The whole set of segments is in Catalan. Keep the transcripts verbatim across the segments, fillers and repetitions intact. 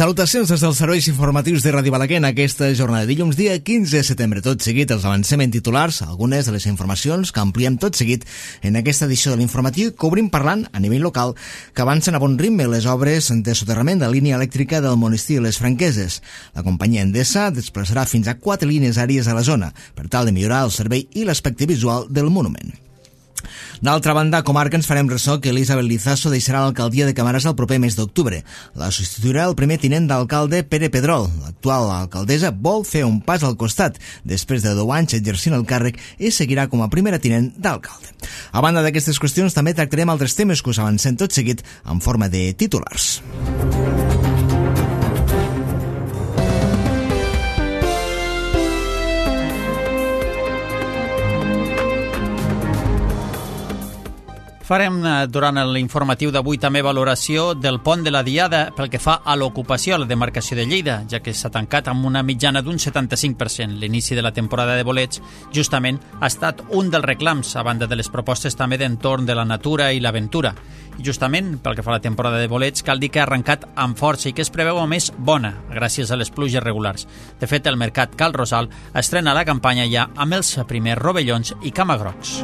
Salutacions des dels serveis informatius de Ràdio Balaguer en aquesta jornada de dilluns, dia quinze de setembre. Tot seguit els avancem en titulars, algunes de les informacions que ampliem tot seguit en aquesta edició de l'informatiu que obrim parlant a nivell local que avancen a bon ritme les obres de soterrament de la línia elèctrica del monestir de les Franqueses. La companyia Endesa desplaçarà fins a quatre línies àrees a la zona per tal de millorar el servei i l'aspecte visual del monument. D'altra banda, a comarca ens farem ressò que Elisabet Lizaso deixarà l'alcaldia de Camarasa el proper mes d'octubre. La substituirà el primer tinent d'alcalde Pere Pedrol. L'actual alcaldessa vol fer un pas al costat després de deu anys exercint el càrrec i seguirà com a primera tinent d'alcalde. A banda d'aquestes qüestions, també tractarem altres temes que us avancem tot seguit en forma de titulars. Farem durant l'informatiu d'avui també valoració del pont de la Diada pel que fa a l'ocupació a la demarcació de Lleida, ja que s'ha tancat amb una mitjana d'un setanta-cinc per cent. L'inici de la temporada de bolets justament ha estat un dels reclams, a banda de les propostes també d'entorn de la natura i l'aventura. I justament pel que fa a la temporada de bolets cal dir que ha arrencat amb força i que es preveu a més bona, gràcies a les pluges regulars. De fet, el mercat Cal Rosal estrena la campanya ja amb els primers rovellons i camagrocs.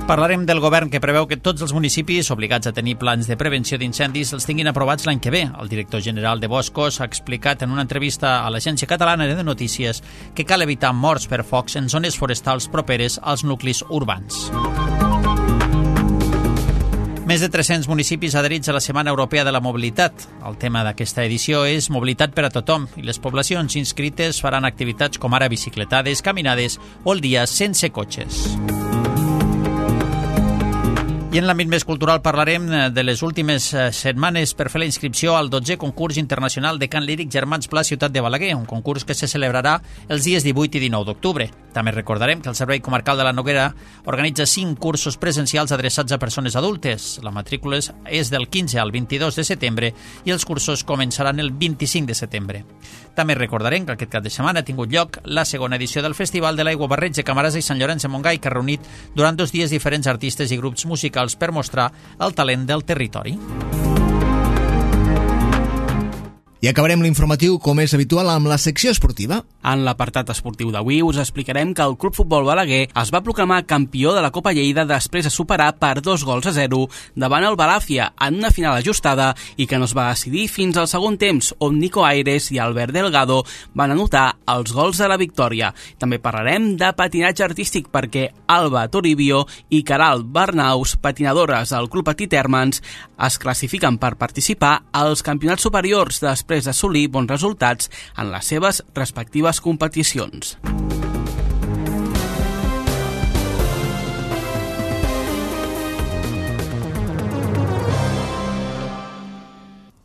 Parlarem del govern que preveu que tots els municipis obligats a tenir plans de prevenció d'incendis els tinguin aprovats l'any que ve. El director general de Boscos ha explicat en una entrevista a l'Agència Catalana de Notícies que cal evitar morts per focs en zones forestals properes als nuclis urbans. Més de tres-cents municipis adherits a la Setmana Europea de la Mobilitat. El tema d'aquesta edició és mobilitat per a tothom i les poblacions inscrites faran activitats com ara bicicletades, caminades o el dia sense cotxes. I en l'àmbit més cultural parlarem de les últimes setmanes per fer la inscripció al dotzè concurs internacional de cant líric Germans Pla Ciutat de Balaguer, un concurs que se celebrarà els dies divuit i dinou d'octubre. També recordarem que el Servei Comarcal de la Noguera organitza cinc cursos presencials adreçats a persones adultes. La matrícula és del quinze al vint-i-dos de setembre i els cursos començaran el vint-i-cinc de setembre. També recordarem que aquest cap de setmana ha tingut lloc la segona edició del Festival de l'Aigua Barreig de Camarasa i Sant Llorenç de Montgai, que ha reunit durant dos dies diferents artistes i grups musicals per mostrar el talent del territori. I acabarem l'informatiu, com és habitual, amb la secció esportiva. En l'apartat esportiu d'avui us explicarem que el Club Futbol Balaguer es va proclamar campió de la Copa Lleida després de superar per dos gols a zero davant el Balàfia en una final ajustada i que no es va decidir fins al segon temps, on Nico Aires i Albert Delgado van anotar els gols de la victòria. També parlarem de patinatge artístic perquè Alba Toribio i Caral Bernaus, patinadores del Club Petit Hermans, es classifiquen per participar als campionats superiors després després d'assolir bons resultats en les seves respectives competicions.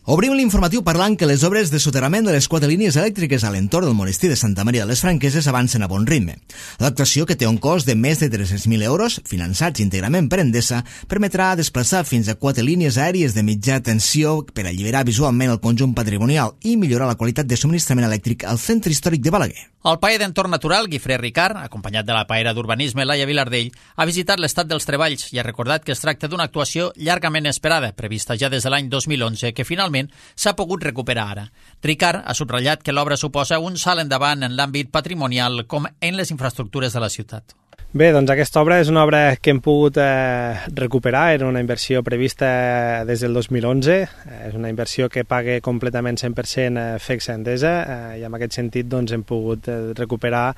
Obrim l'informatiu parlant que les obres de soterrament de les quatre línies elèctriques a l'entorn del monestir de Santa Maria de les Franqueses avancen a bon ritme. L'actuació, que té un cost de més de tres-cents mil euros, finançats íntegrament per Endesa, permetrà desplaçar fins a quatre línies aèries de mitja tensió per alliberar visualment el conjunt patrimonial i millorar la qualitat de subministrament elèctric al centre històric de Balaguer. El paer d'entorn natural, Guifré Ricard, acompanyat de la paera d'urbanisme Laia Vilardell, ha visitat l'estat dels treballs i ha recordat que es tracta d'una actuació llargament esperada, prevista ja des de l'any dos mil onze, que finalment s'ha pogut recuperar ara. Ricard ha subratllat que l'obra suposa un salt endavant en l'àmbit patrimonial com en les infraestructures de la ciutat. Bé, doncs aquesta obra és una obra que hem pogut eh, recuperar, era una inversió prevista des del dos mil onze, eh, és una inversió que paga completament cent per cent F E C Endesa eh, i en aquest sentit doncs, hem pogut eh, recuperar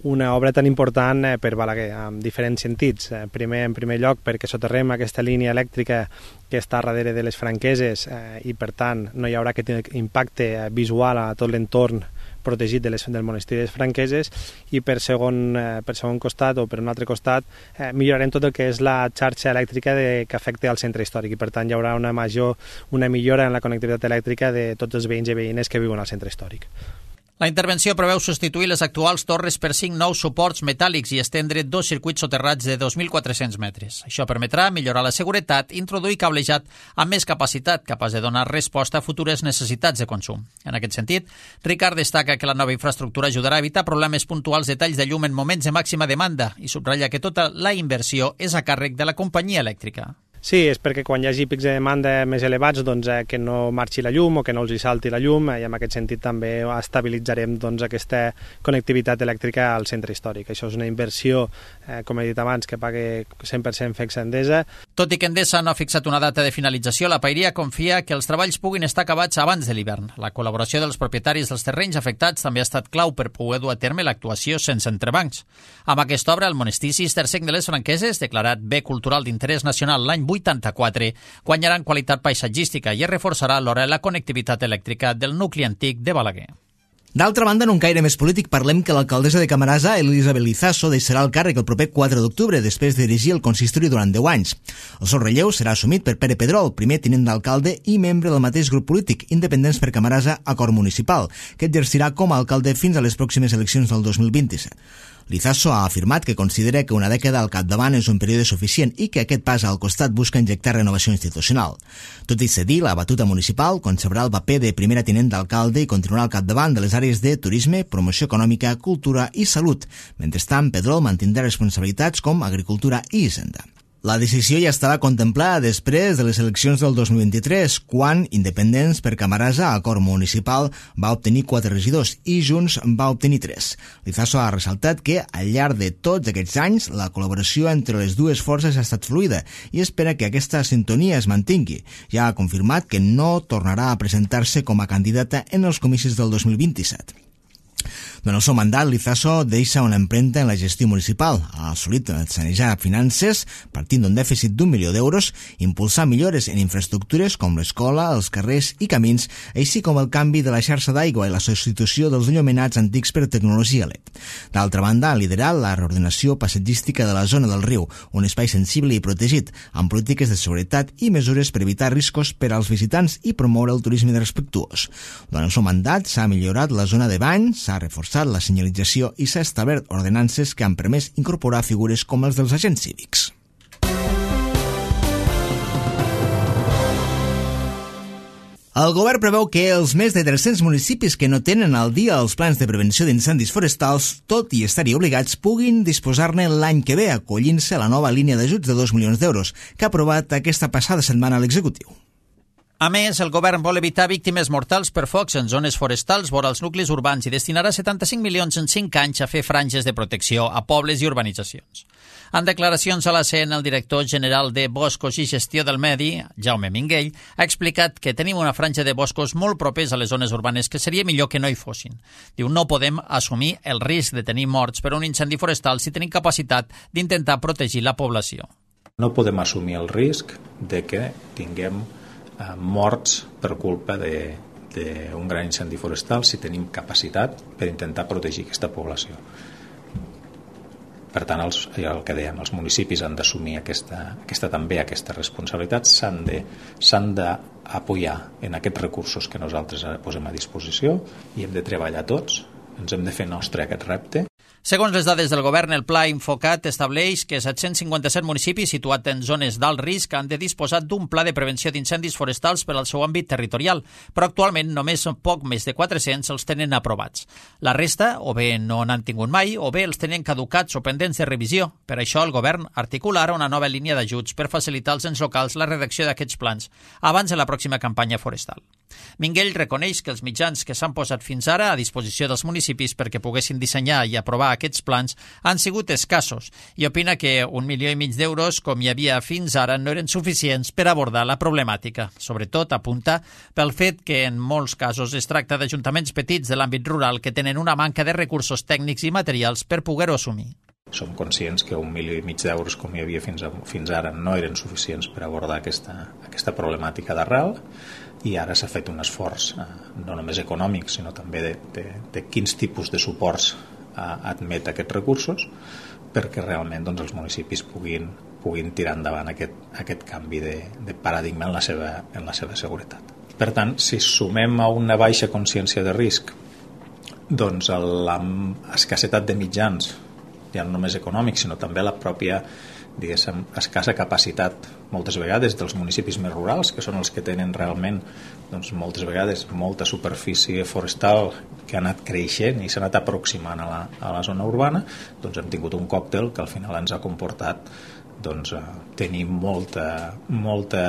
una obra tan important eh, per Balaguer, en diferents sentits. Eh, primer, en primer lloc, perquè soterrem aquesta línia elèctrica que està darrere de les Franqueses eh, i, per tant, no hi haurà aquest impacte eh, visual a tot l'entorn protegit de les, del monestir de les Franqueses i per segon, eh, per segon costat o per un altre costat eh, millorarem tot el que és la xarxa elèctrica de, que afecta al centre històric i per tant hi haurà una major una millora en la connectivitat elèctrica de tots els veïns i veïnes que viuen al centre històric. La intervenció preveu substituir les actuals torres per cinc nous suports metàl·lics i estendre dos circuits soterrats de dos mil quatre-cents metres. Això permetrà millorar la seguretat i introduir cablejat amb més capacitat, capaç de donar resposta a futures necessitats de consum. En aquest sentit, Ricard destaca que la nova infraestructura ajudarà a evitar problemes puntuals de talls de llum en moments de màxima demanda i subratlla que tota la inversió és a càrrec de la companyia elèctrica. Sí, és perquè quan hi hagi pics de demanda més elevats doncs, eh, que no marxi la llum o que no els hi salti la llum, eh, i en aquest sentit també estabilitzarem doncs, aquesta connectivitat elèctrica al centre històric. Això és una inversió, eh, com he dit abans, que pague cent per cent Fecs Endesa. Tot i que Endesa no ha fixat una data de finalització, la Pairia confia que els treballs puguin estar acabats abans de l'hivern. La col·laboració dels propietaris dels terrenys afectats també ha estat clau per poder dur a terme l'actuació sense entrebancs. Amb aquesta obra, el monestir cistercenc de les Franqueses, declarat bé cultural d'interès nacional l'any vuitanta-quatre, guanyarà en qualitat paisatgística i es reforçarà alhora la connectivitat elèctrica del nucli antic de Balaguer. D'altra banda, en un caire més polític, parlem que l'alcaldessa de Camarasa, Elisabet Lizaso, deixarà el càrrec el proper quatre d'octubre, després de dirigir el consistori durant deu anys. El seu relleu serà assumit per Pere Pedrol, primer tinent d'alcalde i membre del mateix grup polític, Independents per Camarasa, Acord Municipal, que exercirà com a alcalde fins a les pròximes eleccions del dos mil vint-i-set. Lizaso ha afirmat que considera que una dècada al capdavant és un període suficient i que aquest pas al costat busca injectar renovació institucional. Tot i cedir la batuta municipal, conservarà el paper de primera tinent d'alcalde i continuarà al capdavant de les àrees de turisme, promoció econòmica, cultura i salut. Mentrestant, Pedrol mantindrà responsabilitats com agricultura i hisenda. La decisió ja estava contemplada després de les eleccions del dos mil vint-i-tres, quan Independents per Camarasa, Acord Municipal, va obtenir quatre regidors i Junts va obtenir tres. Lizaso ha ressaltat que, al llarg de tots aquests anys, la col·laboració entre les dues forces ha estat fluida i espera que aquesta sintonia es mantingui. Ja ha confirmat que no tornarà a presentar-se com a candidata en els comicis del dos mil vint-i-set. Durant el seu mandat, Lizaso deixa una empremta en la gestió municipal. Ha assolit sanejar finances, partint d'un dèficit d'un milió d'euros, impulsar millores en infraestructures com l'escola, els carrers i camins, així com el canvi de la xarxa d'aigua i la substitució dels enllumenats antics per tecnologia L E D. D'altra banda, ha liderat la reordenació passatgística de la zona del riu, un espai sensible i protegit, amb polítiques de seguretat i mesures per evitar riscos per als visitants i promoure el turisme respectuós. Durant el seu mandat s'ha millorat la zona de bany, s'ha reforçat la senyalització i s'ha establert ordenances que han permès incorporar figures com els dels agents cívics. El govern preveu que els més de tres-cents municipis que no tenen al dia els plans de prevenció d'incendis forestals, tot i estar-hi obligats, puguin disposar-ne l'any que ve, acollint-se a la nova línia d'ajuts de dos milions d'euros, que ha aprovat aquesta passada setmana l'executiu. A més, el govern vol evitar víctimes mortals per focs en zones forestals vora els nuclis urbans i destinarà setanta-cinc milions en cinc anys a fer franges de protecció a pobles i urbanitzacions. En declaracions a la C N, el director general de Boscos i Gestió del Medi, Jaume Minguell, ha explicat que tenim una franja de boscos molt propers a les zones urbanes que seria millor que no hi fossin. Diu, no podem assumir el risc de tenir morts per un incendi forestal si tenim capacitat d'intentar protegir la població. No podem assumir el risc de que tinguem morts per culpa d'un gran incendi forestal si tenim capacitat per intentar protegir aquesta població. Per tant, els, el que dèiem, els municipis han d'assumir aquesta, aquesta, també aquesta responsabilitat, s'han de, s'han d'apoyar en aquests recursos que nosaltres posem a disposició i hem de treballar tots, ens hem de fer nostre aquest repte. Segons les dades del govern, el Pla Infocat estableix que set-cents cinquanta-set municipis situats en zones d'alt risc han de disposar d'un pla de prevenció d'incendis forestals per al seu àmbit territorial, però actualment només poc més de quatre-cents els tenen aprovats. La resta, o bé no n'han tingut mai, o bé els tenen caducats o pendents de revisió. Per això el govern articularà una nova línia d'ajuts per facilitar als ens locals la redacció d'aquests plans abans de la pròxima campanya forestal. Minguell reconeix que els mitjans que s'han posat fins ara a disposició dels municipis perquè poguessin dissenyar i aprovar aquests plans han sigut escassos i opina que un milió i mig d'euros, com hi havia fins ara, no eren suficients per abordar la problemàtica. Sobretot apunta pel fet que en molts casos es tracta d'ajuntaments petits de l'àmbit rural que tenen una manca de recursos tècnics i materials per poder-ho assumir. Som conscients que un milió i mig d'euros, com hi havia fins, a, fins ara, no eren suficients per abordar aquesta, aquesta problemàtica d'arrel, i ara s'ha fet un esforç eh, no només econòmic, sinó també de, de, de quins tipus de suports eh, admet aquests recursos perquè realment doncs, els municipis puguin, puguin tirar endavant aquest, aquest canvi de, de paradigma en la, seva, en la seva seguretat. Per tant, si sumem a una baixa consciència de risc doncs l'escassetat de mitjans, ja no només econòmics, sinó també la pròpia diguéssim, escassa capacitat moltes vegades dels municipis més rurals, que són els que tenen realment doncs, moltes vegades molta superfície forestal que ha anat creixent i s'ha anat aproximant a la, a la zona urbana, doncs hem tingut un còctel que al final ens ha comportat doncs, eh, tenim molta, molta,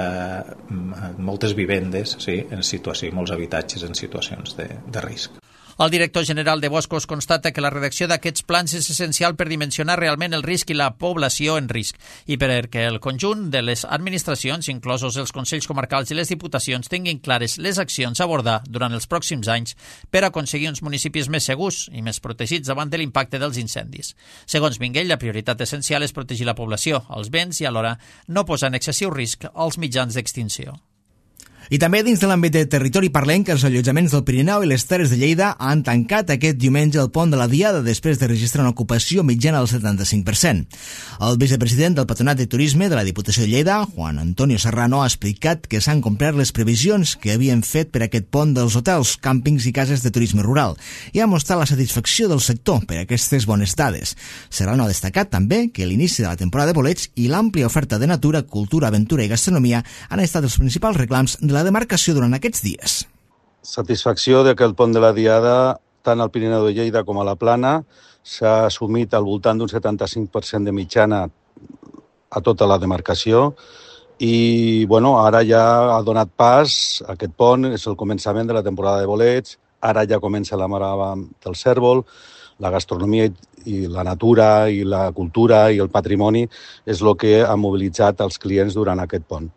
moltes vivendes, sí, en situació, molts habitatges en situacions de, de risc. El director general de Boscos constata que la redacció d'aquests plans és essencial per dimensionar realment el risc i la població en risc i perquè el conjunt de les administracions, inclosos els Consells Comarcals i les Diputacions, tinguin clares les accions a abordar durant els pròxims anys per aconseguir uns municipis més segurs i més protegits davant de l'impacte dels incendis. Segons Minguell, la prioritat essencial és protegir la població, els béns i alhora no posar en excessiu risc als mitjans d'extinció. I també dins de l'àmbit de territori parlem que els allotjaments del Pirineu i les Terres de Lleida han tancat aquest diumenge el pont de la Diada després de registrar una ocupació mitjana del setanta-cinc per cent. El vicepresident del Patronat de Turisme de la Diputació de Lleida, Juan Antonio Serrano, ha explicat que s'han complert les previsions que havien fet per aquest pont dels hotels, càmpings i cases de turisme rural i ha mostrat la satisfacció del sector per aquestes bones dades. Serrano ha destacat també que l'inici de la temporada de bolets i l'àmplia oferta de natura, cultura, aventura i gastronomia han estat els principals reclams de la demarcació durant aquests dies. Satisfacció de que el pont de la Diada, tant al Pirineu de Lleida com a la Plana, s'ha assumit al voltant d'un setanta-cinc per cent de mitjana a tota la demarcació i bueno, ara ja ha donat pas, aquest pont és el començament de la temporada de bolets, ara ja comença la marava del cèrvol, la gastronomia i la natura i la cultura i el patrimoni és el que ha mobilitzat els clients durant aquest pont.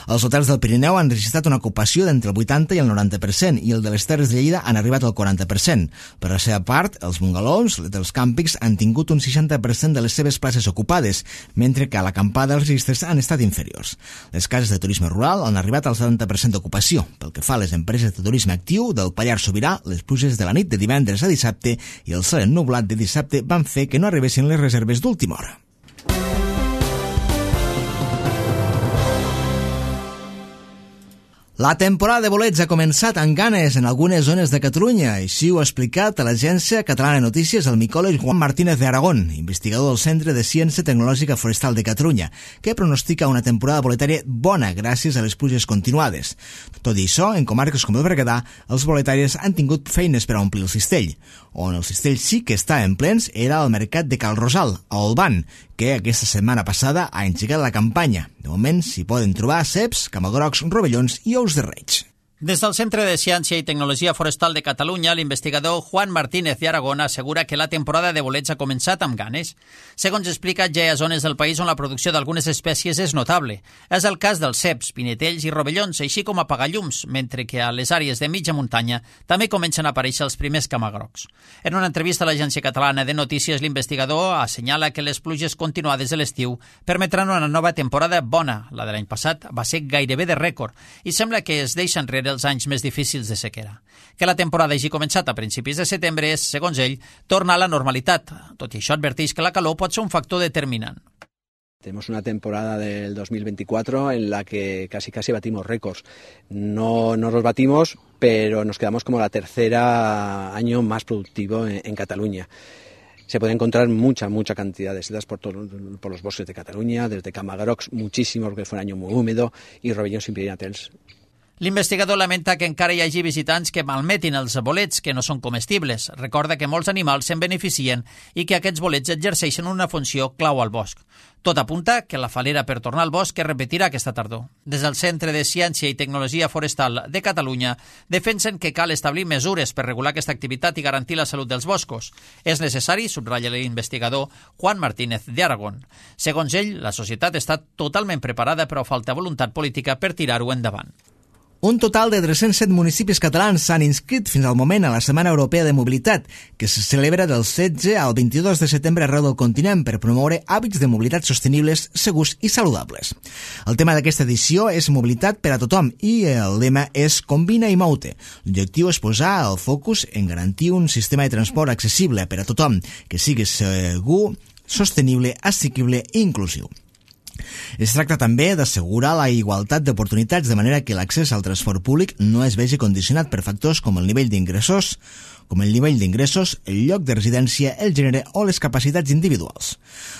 Els hotels del Pirineu han registrat una ocupació d'entre el vuitanta i el noranta per cent i el de les Terres de Lleida han arribat al quaranta per cent. Per la seva part, els bungalows dels càmpings han tingut un seixanta per cent de les seves places ocupades, mentre que a l'acampada els registres han estat inferiors. Les cases de turisme rural han arribat al setanta per cent d'ocupació. Pel que fa a les empreses de turisme actiu del Pallars Sobirà, les pluges de la nit de divendres a dissabte i el cel ennublat de dissabte van fer que no arribessin les reserves d'última hora. La temporada de bolets ha començat amb ganes en algunes zones de Catalunya. Així ho ha explicat a l'Agència Catalana de Notícies el micòleg Juan Martínez de Aragón, investigador del Centre de Ciència Tecnològica Forestal de Catalunya, que pronostica una temporada boletària bona gràcies a les pluges continuades. Tot i això, en comarques com el Berguedà, els boletaris han tingut feines per a omplir el cistell. On el cistell sí que està en plens era al mercat de Cal Rosal, a Olvan, que aquesta setmana passada ha engegat la campanya. De moment s'hi poden trobar ceps, camagrocs, rovellons i ous de reig. Des del Centre de Ciència i Tecnologia Forestal de Catalunya, l'investigador Juan Martínez de Aragón assegura que la temporada de bolets ha començat amb ganes. Segons explica, ja hi ha zones del país on la producció d'algunes espècies és notable. És el cas dels ceps, pinetells i rovellons, així com apagallums, mentre que a les àrees de mitja muntanya també comencen a aparèixer els primers camagrocs. En una entrevista a l'Agència Catalana de Notícies, l'investigador assenyala que les pluges continuades de l'estiu permetran una nova temporada bona. La de l'any passat va ser gairebé de rècord i sembla que es deixa enrere els anys més difícils de sequera. Que la temporada hagi començat a principis de setembre és, segons ell, tornar a la normalitat. Tot i això, adverteix que la calor pot ser un factor determinant. Tenemos una temporada del dos mil veinticuatro en la que casi casi batimos récords. No, no los batimos, pero nos quedamos como la tercera año más productivo en, en Cataluña. Se puede encontrar mucha, mucha cantidad de setas por, todo, por los bosques de Cataluña, desde camagrocs, muchísimos, porque fue un año muy húmedo, y rovellons y pirinatels. L'investigador lamenta que encara hi hagi visitants que malmetin els bolets que no són comestibles. Recorda que molts animals se'n beneficien i que aquests bolets exerceixen una funció clau al bosc. Tot apunta que la falera per tornar al bosc es repetirà aquesta tardor. Des del Centre de Ciència i Tecnologia Forestal de Catalunya defensen que cal establir mesures per regular aquesta activitat i garantir la salut dels boscos. És necessari, subratlla l'investigador Juan Martínez de Aragón. Segons ell, la societat està totalment preparada, però falta voluntat política per tirar-ho endavant. Un total de tres-cents set municipis catalans s'han inscrit fins al moment a la Setmana Europea de Mobilitat, que se celebra del setze al vint-i-dos de setembre arreu del continent per promoure hàbits de mobilitat sostenibles, segurs i saludables. El tema d'aquesta edició és mobilitat per a tothom i el lema és Combina i mou-te. L'objectiu és posar el focus en garantir un sistema de transport accessible per a tothom, que sigui segur, sostenible, assequible i inclusiu. Es tracta també d'assegurar la igualtat d'oportunitats de manera que l'accés al transport públic no es vegi condicionat per factors com el nivell d'ingressos, com el nivell d'ingressos, el lloc de residència, el gènere o les capacitats individuals.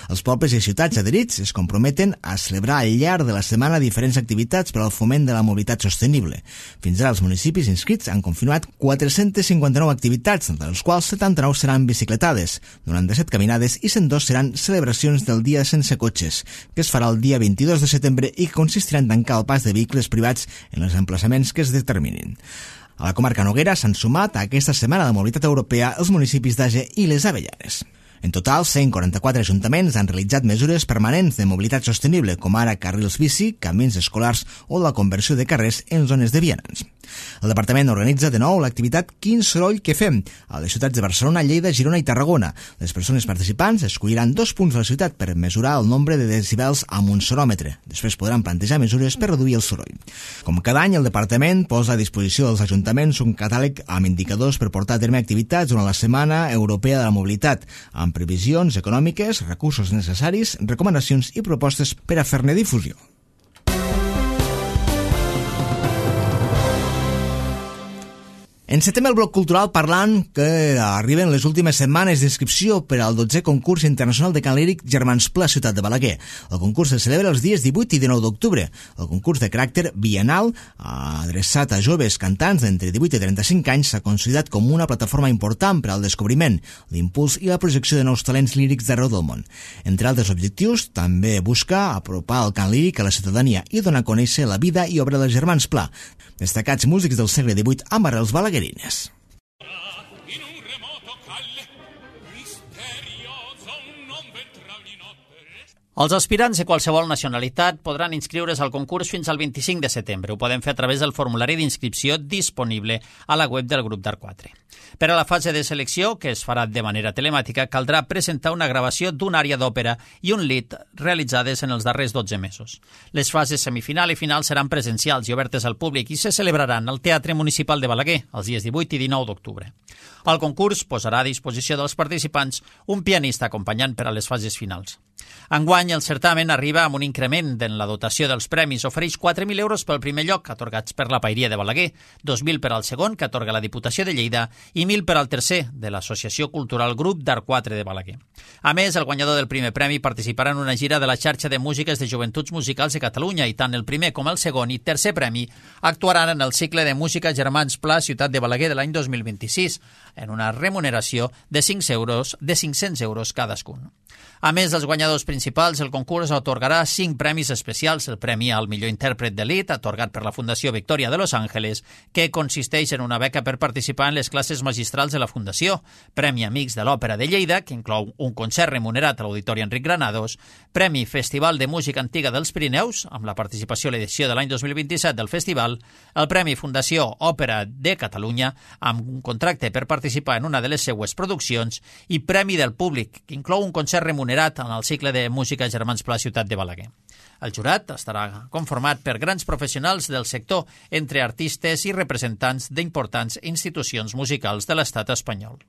Els pobles i ciutats adherits es comprometen a celebrar al llarg de la setmana diferents activitats per al foment de la mobilitat sostenible. Fins ara els municipis inscrits han confirmat quatre-centes cinquanta-nou activitats, de les quals setanta-nou seran bicicletades, noranta-set caminades i cent dos seran celebracions del dia sense cotxes, que es farà el dia vint-i-dos de setembre i que consistirà en tancar el pas de vehicles privats en els emplaçaments que es determinin. A la comarca Noguera s'han sumat a aquesta setmana de mobilitat europea els municipis d'Age i les Avellanes. En total, cent quaranta-quatre ajuntaments han realitzat mesures permanents de mobilitat sostenible, com ara carrils bici, camins escolars o la conversió de carrers en zones de vianants. El departament organitza de nou l'activitat Quin soroll que fem a les ciutats de Barcelona, Lleida, Girona i Tarragona. Les persones participants escolliran dos punts de la ciutat per mesurar el nombre de decibels amb un soròmetre. Després podran plantejar mesures per reduir el soroll. Com cada any, el departament posa a disposició dels ajuntaments un catàleg amb indicadors per portar a terme activitats durant la Setmana Europea de la Mobilitat, amb previsions econòmiques, recursos necessaris, recomanacions i propostes per a fer-ne difusió. Encetem el bloc cultural parlant que arriben les últimes setmanes d'inscripció per al dotzè concurs internacional de cant líric Germans Pla Ciutat de Balaguer. El concurs se celebra els dies divuit i dinou d'octubre. El concurs de caràcter bienal, adreçat a joves cantants d'entre divuit i trenta-cinc anys, s'ha consolidat com una plataforma important per al descobriment, l'impuls i la projecció de nous talents lírics d'arreu del món. Entre altres objectius, també busca apropar el cant líric a la ciutadania i donar a conèixer la vida i obra dels Germans Pla, destacats músics del segle divuit amb arrels balaguerines. Els aspirants de qualsevol nacionalitat podran inscriure's al concurs fins al vint-i-cinc de setembre. Ho poden fer a través del formulari d'inscripció disponible a la web del grup d'Arc quatre. Per a la fase de selecció, que es farà de manera telemàtica, caldrà presentar una gravació d'una ària d'òpera i un lit realitzades en els darrers dotze mesos. Les fases semifinal i final seran presencials i obertes al públic i se celebraran al Teatre Municipal de Balaguer els dies divuit i dinou d'octubre. El concurs posarà a disposició dels participants un pianista acompanyant per a les fases finals. Enguany, el certamen arriba amb un increment en la dotació dels premis. Ofereix quatre mil euros pel primer lloc, atorgats per la Paeria de Balaguer, dos mil per al segon, que atorga la Diputació de Lleida, i mil per al tercer, de l'Associació Cultural Grup d'Arc quatre de Balaguer. A més, el guanyador del primer premi participarà en una gira de la xarxa de músiques de joventuts musicals de Catalunya i tant el primer com el segon i tercer premi actuaran en el cicle de música Germans Pla Ciutat de Balaguer de l'any dos mil vint-i-sis, en una remuneració de cinc euros, de cinc-cents euros cadascun. A més dels guanyadors principals, el concurs atorgarà cinc premis especials. El premi al millor intèrpret d'elit, atorgat per la Fundació Victòria de Los Ángeles, que consisteix en una beca per participar en les classes magistrals de la Fundació. Premi Amics de l'Òpera de Lleida, que inclou un concert remunerat a l'Auditori Enric Granados. Premi Festival de Música Antiga dels Pirineus, amb la participació a l'edició de l'any dos mil vint-i-set del festival. El Premi Fundació Òpera de Catalunya, amb un contracte per participar en una de les seues produccions. I Premi del Públic, que inclou un concert remunerat en el cicle de música Germans Pla Ciutat de Balaguer. El jurat estarà conformat per grans professionals del sector, entre artistes i representants d'importants institucions musicals de l'estat espanyol.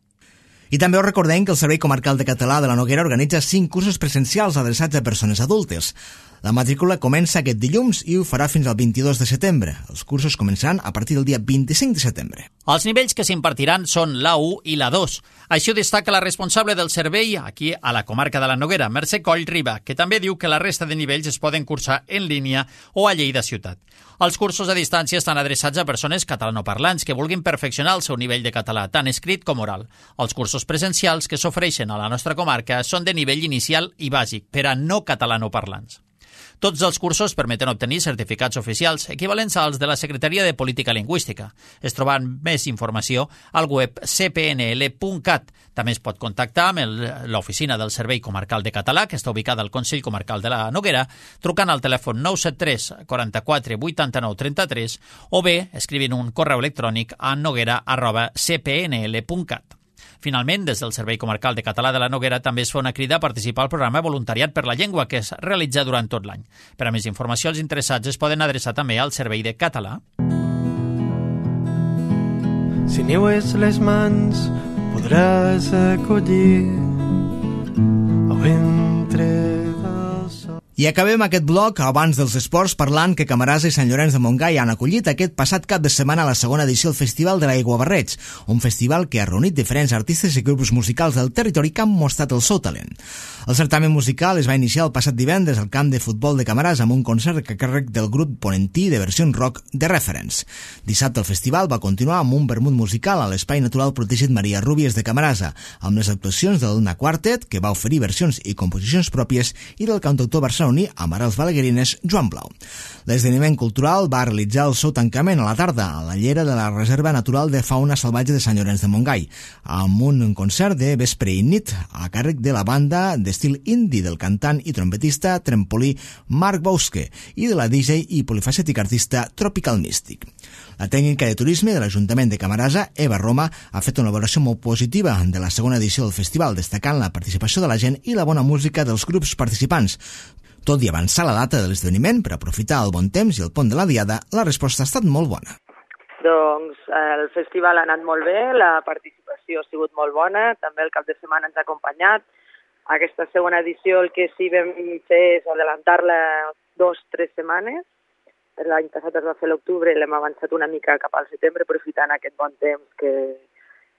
I també us recordem que el Servei Comarcal de Català de la Noguera organitza cinc cursos presencials adreçats a persones adultes. La matrícula comença aquest dilluns i ho farà fins al vint-i-dos de setembre. Els cursos començaran a partir del dia vint-i-cinc de setembre. Els nivells que s'impartiran són l'A u i l'A dos. Així ho destaca la responsable del servei aquí a la comarca de la Noguera, Mercè Coll Riba, que també diu que la resta de nivells es poden cursar en línia o a Lleida ciutat. Els cursos a distància estan adreçats a persones catalanoparlants que vulguin perfeccionar el seu nivell de català, tant escrit com oral. Els cursos presencials que s'ofereixen a la nostra comarca són de nivell inicial i bàsic per a no catalanoparlants. Tots els cursos permeten obtenir certificats oficials equivalents als de la Secretaria de Política Lingüística. Es troba més informació al web c p n l punt cat. També es pot contactar amb l'oficina del Servei Comarcal de Català, que està ubicada al Consell Comarcal de la Noguera, trucant al telèfon nou set tres, quaranta-quatre, vuitanta-nou, trenta-tres o bé escrivint un correu electrònic a noguera arroba c p n l punt cat. Finalment, des del Servei Comarcal de Català de la Noguera també es fa una crida a participar al programa Voluntariat per la Llengua, que es realitza durant tot l'any. Per a més informació, els interessats es poden adreçar també al Servei de Català. Si niues les mans podràs acollir el ventre del sol. I acabem aquest bloc abans dels esports parlant que Camarasa i Sant Llorenç de Montgai han acollit aquest passat cap de setmana la segona edició del Festival de l'Aiguabarreig, un festival que ha reunit diferents artistes i grups musicals del territori que han mostrat el seu talent. El certamen musical es va iniciar el passat divendres al camp de futbol de Camarasa amb un concert a càrrec del grup ponentí de versions rock de Reference. Dissabte el festival va continuar amb un vermut musical a l'Espai Natural Protegit Maria Rúbies de Camarasa, amb les actuacions del Luna Quartet, que va oferir versions i composicions pròpies, i del cantautor barceloní amb arrels balaguerines Joan Blau. L'esdeveniment cultural va realitzar el seu tancament a la tarda a la llera de la Reserva Natural de Fauna Salvatge de Sant Llorenç de Montgai, amb un concert de vespre i nit a càrrec de la banda d'estil indie del cantant i trompetista trempolí Marc Bosque i de la D J i polifacètic artista Tropical Mystic. La tècnica de turisme de l'Ajuntament de Camarasa, Eva Roma, ha fet una valoració molt positiva de la segona edició del festival, destacant la participació de la gent i la bona música dels grups participants. Tot i avançar la data de l'esdeveniment per aprofitar el bon temps i el pont de la Diada, la resposta ha estat molt bona. Doncs el festival ha anat molt bé, la participació ha sigut molt bona, també el cap de setmana ens ha acompanyat. Aquesta segona edició el que sí vam fer és adelantar-la dos o tres setmanes. L'any passat es va fer l'octubre i l'hem avançat una mica cap al setembre, aprofitant aquest bon temps que,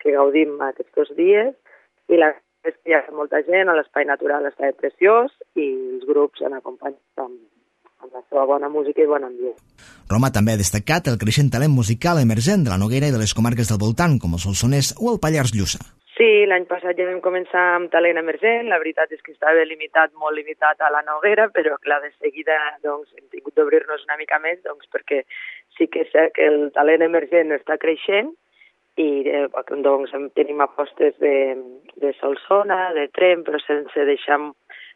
que gaudim aquests dos dies. I la és que hi ha molta gent, l'espai natural està preciós i els grups han acompanyat amb, amb la seva bona música i bon ambient. Roma també ha destacat el creixent talent musical emergent de la Noguera i de les comarques del voltant, com el Solsonès o el Pallars Lluçà. Sí, l'any passat ja vam començar amb talent emergent, la veritat és que estava limitat, molt limitat a la Noguera, però clar, de seguida doncs, hem tingut d'obrir-nos una mica més, doncs, perquè sí que és cert que el talent emergent està creixent, i eh, doncs tenim apostes de, de Solsona, de Tremp, però sense deixar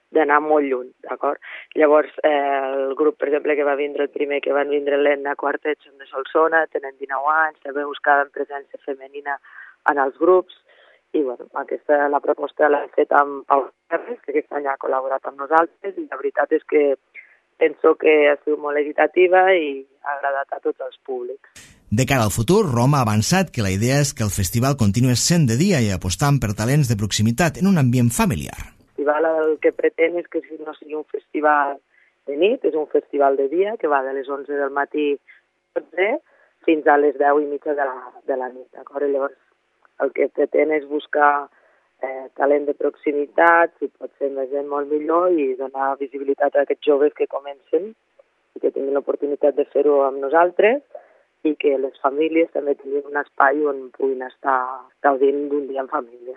d'anar molt lluny, d'acord? Llavors, eh, el grup, per exemple, que va vindre el primer, que van vindre l'Enna Quartet, són de Solsona, tenen dinou anys, també buscaven presència femenina en els grups, i bueno, aquesta la proposta l'hem fet amb Pau Ferres, que aquest any ha col·laborat amb nosaltres, i la veritat és que penso que ha sigut molt equitativa i ha agradat a tots els públics. De cara al futur, Roma ha avançat que la idea és que el festival continuï sent de dia i apostant per talents de proximitat en un ambient familiar. El festival el que pretén és que no sigui un festival de nit, és un festival de dia que va de les onze del matí fins a les deu i mitja de la, de la nit. D'acord? Llavors, el que pretén és buscar eh, talent de proximitat, si pot ser més gent molt millor, i donar visibilitat a aquests joves que comencen i que tinguin l'oportunitat de fer-ho amb nosaltres, i que les famílies també tinguin un espai on puguin estar gaudint d'un dia en família.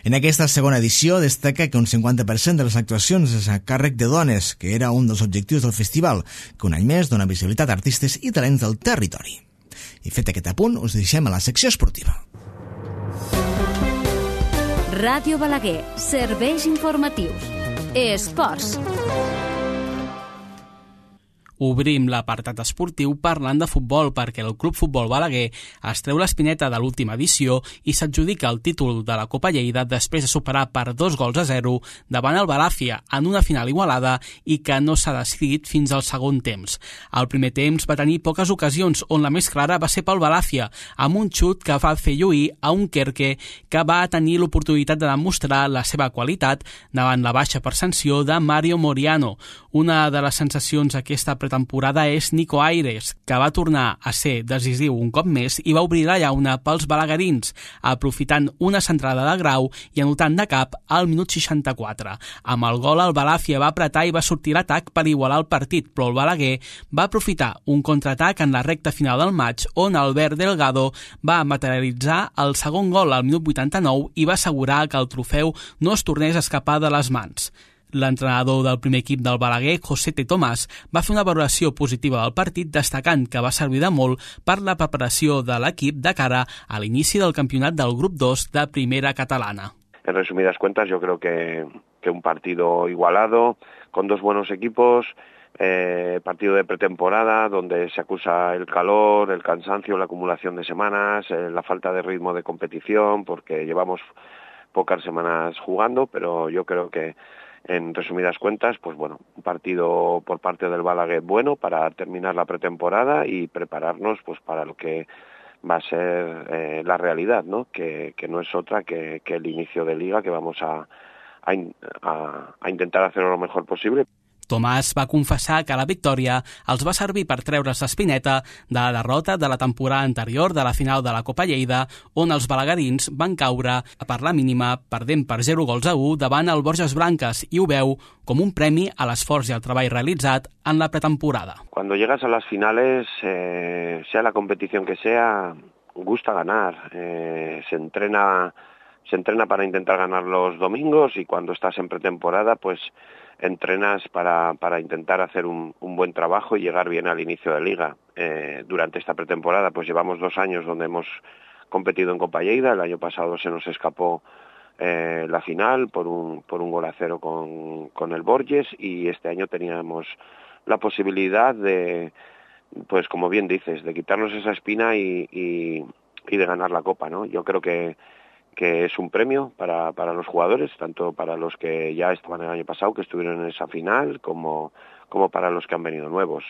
En aquesta segona edició destaca que un cinquanta per cent de les actuacions és a càrrec de dones, que era un dels objectius del festival, que un any més dona visibilitat a artistes i talents del territori. I fet aquest apunt, us deixem a la secció esportiva. Ràdio Balaguer, serveis informatius. Esports. Obrim l'apartat esportiu parlant de futbol perquè el Club Futbol Balaguer es treu l'espineta de l'última edició i s'adjudica el títol de la Copa Lleida després de superar per dos gols a zero davant el Balàfia en una final igualada i que no s'ha decidit fins al segon temps. El primer temps va tenir poques ocasions on la més clara va ser pel Balàfia, amb un xut que va fer lluir a un Kerke que va tenir l'oportunitat de demostrar la seva qualitat davant la baixa per sanció de Mario Moriano. Una de les sensacions aquesta temporada és Nico Aires, que va tornar a ser decisiu un cop més i va obrir la llauna pels balaguerins, aprofitant una centrada de Grau i anotant de cap al minut seixanta-quatre. Amb el gol, el Balàfia va apretar i va sortir l'atac per igualar el partit, però el Balaguer va aprofitar un contraatac en la recta final del maig, on Albert Delgado va materialitzar el segon gol al minut vuitanta-nou i va assegurar que el trofeu no es tornés a escapar de les mans. L'entrenador del primer equip del Balaguer, José T. Tomàs, va fer una valoració positiva del partit, destacant que va servir de molt per la preparació de l'equip de cara a l'inici del campionat del grup dos de Primera Catalana. En resumidas cuentas, yo creo que, que un partido igualado, con dos buenos equipos, eh, partido de pretemporada, donde se acusa el calor, el cansancio, la acumulación de semanas, eh, la falta de ritmo de competición, porque llevamos pocas semanas jugando, pero yo creo que en resumidas cuentas, pues bueno, un partido por parte del Balaguer bueno para terminar la pretemporada y prepararnos pues para lo que va a ser eh, la realidad, ¿no? Que, que no es otra que, que el inicio de liga, que vamos a, a, a, a intentar hacerlo lo mejor posible. Tomàs va confessar que la victòria els va servir per treure's l'espineta de la derrota de la temporada anterior de la final de la Copa Lleida, on els balaguerins van caure per la mínima, perdent per zero gols a u davant el Borges Blanques, i ho veu com un premi a l'esforç i al treball realitzat en la pretemporada. Cuando llegas a las finales, eh, sea la competición que sea, gusta ganar. Eh, se entrena, se entrena para intentar ganar los domingos, y cuando estás en pretemporada, pues entrenas para, para intentar hacer un, un buen trabajo y llegar bien al inicio de liga. Eh, durante esta pretemporada pues llevamos dos años donde hemos competido en Copa Lleida. El año pasado se nos escapó eh, la final por un, por un gol a cero con, con el Borges, y este año teníamos la posibilidad de, pues como bien dices, de quitarnos esa espina y, y, y de ganar la Copa, ¿no? Yo creo que que es un premio para, para los jugadores, tanto para los que ya estaban el año pasado, que estuvieron en esa final, como, como para los que han venido nuevos.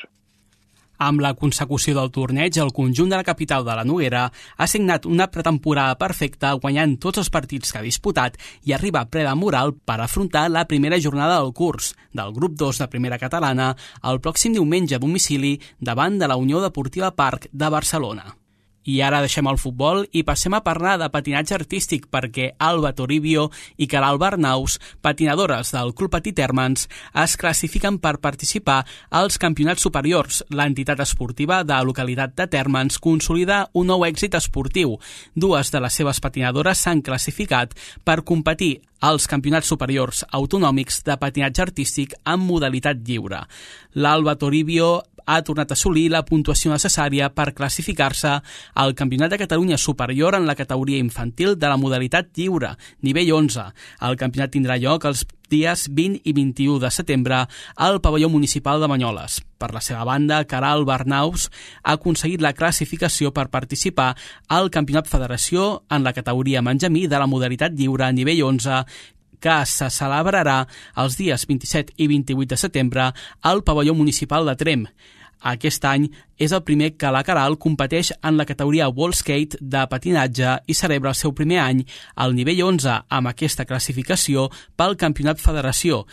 Amb la consecució del torneig, el conjunt de la capital de la Noguera ha signat una pretemporada perfecta, guanyant tots els partits que ha disputat i arriba ple de moral per afrontar la primera jornada del curs del grup dos de Primera Catalana el pròxim diumenge a domicili davant de la Unió Deportiva Parc de Barcelona. I ara deixem el futbol i passem a parlar de patinatge artístic, perquè Alba Toribio i Caral Barnaus, patinadores del Club Petit Hermans, es classifiquen per participar als campionats superiors. L'entitat esportiva de la localitat de Térmens consolida un nou èxit esportiu. Dues de les seves patinadores s'han classificat per competir als campionats superiors autonòmics de patinatge artístic en modalitat lliure. L'Alba Toribio ha tornat a assolir la puntuació necessària per classificar-se al Campionat de Catalunya superior en la categoria infantil de la modalitat lliure, nivell onze. El campionat tindrà lloc els dies vint i vint-i-u de setembre al pavelló municipal de Banyoles. Per la seva banda, Caral Barnaus ha aconseguit la classificació per participar al Campionat Federació en la categoria Menjamí de la modalitat lliure nivell onze, que se celebrarà els dies vint-i-set i vint-i-vuit de setembre al pavelló municipal de Tremp. Aquest any és el primer que la Caral competeix en la categoria World Skate de patinatge i celebra el seu primer any al nivell onze amb aquesta classificació pel Campionat Federació.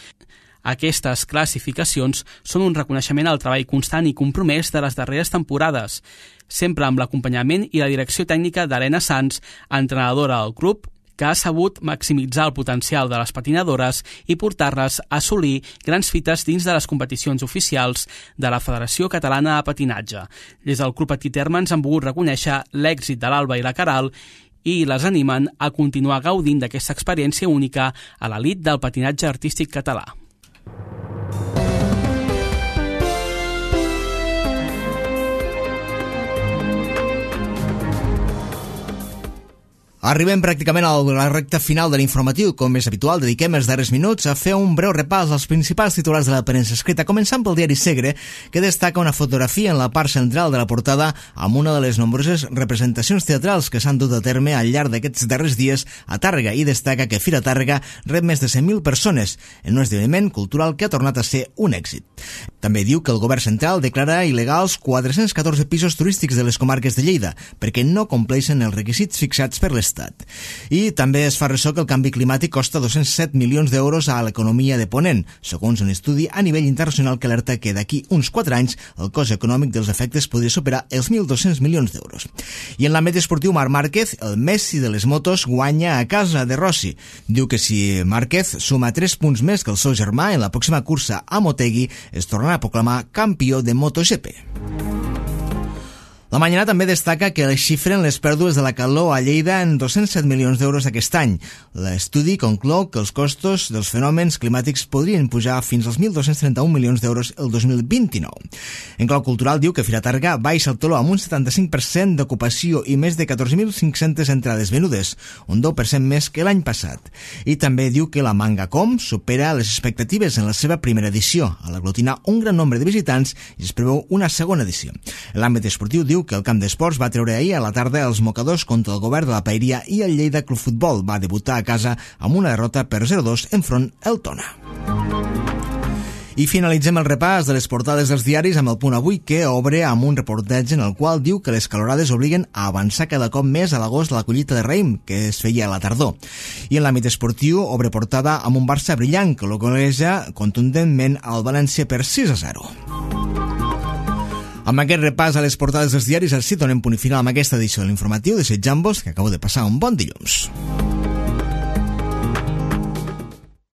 Aquestes classificacions són un reconeixement al treball constant i compromès de les darreres temporades, sempre amb l'acompanyament i la direcció tècnica d'Helena Sanz, entrenadora del club, que ha sabut maximitzar el potencial de les patinadores i portar-les a assolir grans fites dins de les competicions oficials de la Federació Catalana de Patinatge. Des del Club Petit Hermans han volgut reconèixer l'èxit de l'Alba i la Caral i les animen a continuar gaudint d'aquesta experiència única a l'elit del patinatge artístic català. Arribem pràcticament a la recta final de l'informatiu. Com és habitual, dediquem els darrers minuts a fer un breu repàs als principals titulars de la premsa escrita, començant pel diari Segre, que destaca una fotografia en la part central de la portada amb una de les nombroses representacions teatrals que s'han dut a terme al llarg d'aquests darrers dies a Tàrrega, i destaca que Fira Tàrrega rep més de cent mil persones en un esdeveniment cultural que ha tornat a ser un èxit. També diu que el govern central declara il·legals quatre-cents catorze pisos turístics de les comarques de Lleida perquè no compleixen els requisits fixats per l'Estat. I també es fa ressò que el canvi climàtic costa dos-cents set milions d'euros a l'economia de Ponent, segons un estudi a nivell internacional que alerta que d'aquí uns quatre anys el cost econòmic dels efectes podria superar els mil dos-cents milions d'euros. I en l'àmbit esportiu, Marc Márquez, el Messi de les motos, guanya a casa de Rossi. Diu que si Márquez suma tres punts més que el seu germà en la pròxima cursa a Motegi, es tornarà a proclamar campió de MotoGP. La Mañana també destaca que xifren les pèrdues de la calor a Lleida en dos-cents set milions d'euros aquest any. L'estudi conclou que els costos dels fenòmens climàtics podrien pujar fins als mil dos-cents trenta-un milions d'euros el dos mil vint-i-nou. En clau cultural diu que Fira Tàrrega baixa el teló amb un setanta-cinc per cent d'ocupació i més de catorze mil cinc-centes entrades venudes, un deu per cent més que l'any passat. I també diu que la Manga Com supera les expectatives en la seva primera edició, al aglutinar un gran nombre de visitants, i es preveu una segona edició. En l'àmbit esportiu diu que el camp d'esports va treure ahir a la tarda els mocadors contra el govern de la Paeria, i el Lleida Club Futbol va debutar a casa amb una derrota per zero a dos enfront el Tona. I finalitzem el repàs de les portades dels diaris amb el Punt Avui, que obre amb un reportatge en el qual diu que les calorades obliguen a avançar cada cop més a l'agost de la collita de raïm, que es feia a la tardor. I en l'àmbit esportiu obre portada amb un Barça brillant que localitza contundentment al València per sis a zero. Amb aquest repàs a les portades dels diaris, així donem punt i final amb aquesta edició de l'informatiu. Desitjant-vos que acabo de passar un bon dilluns.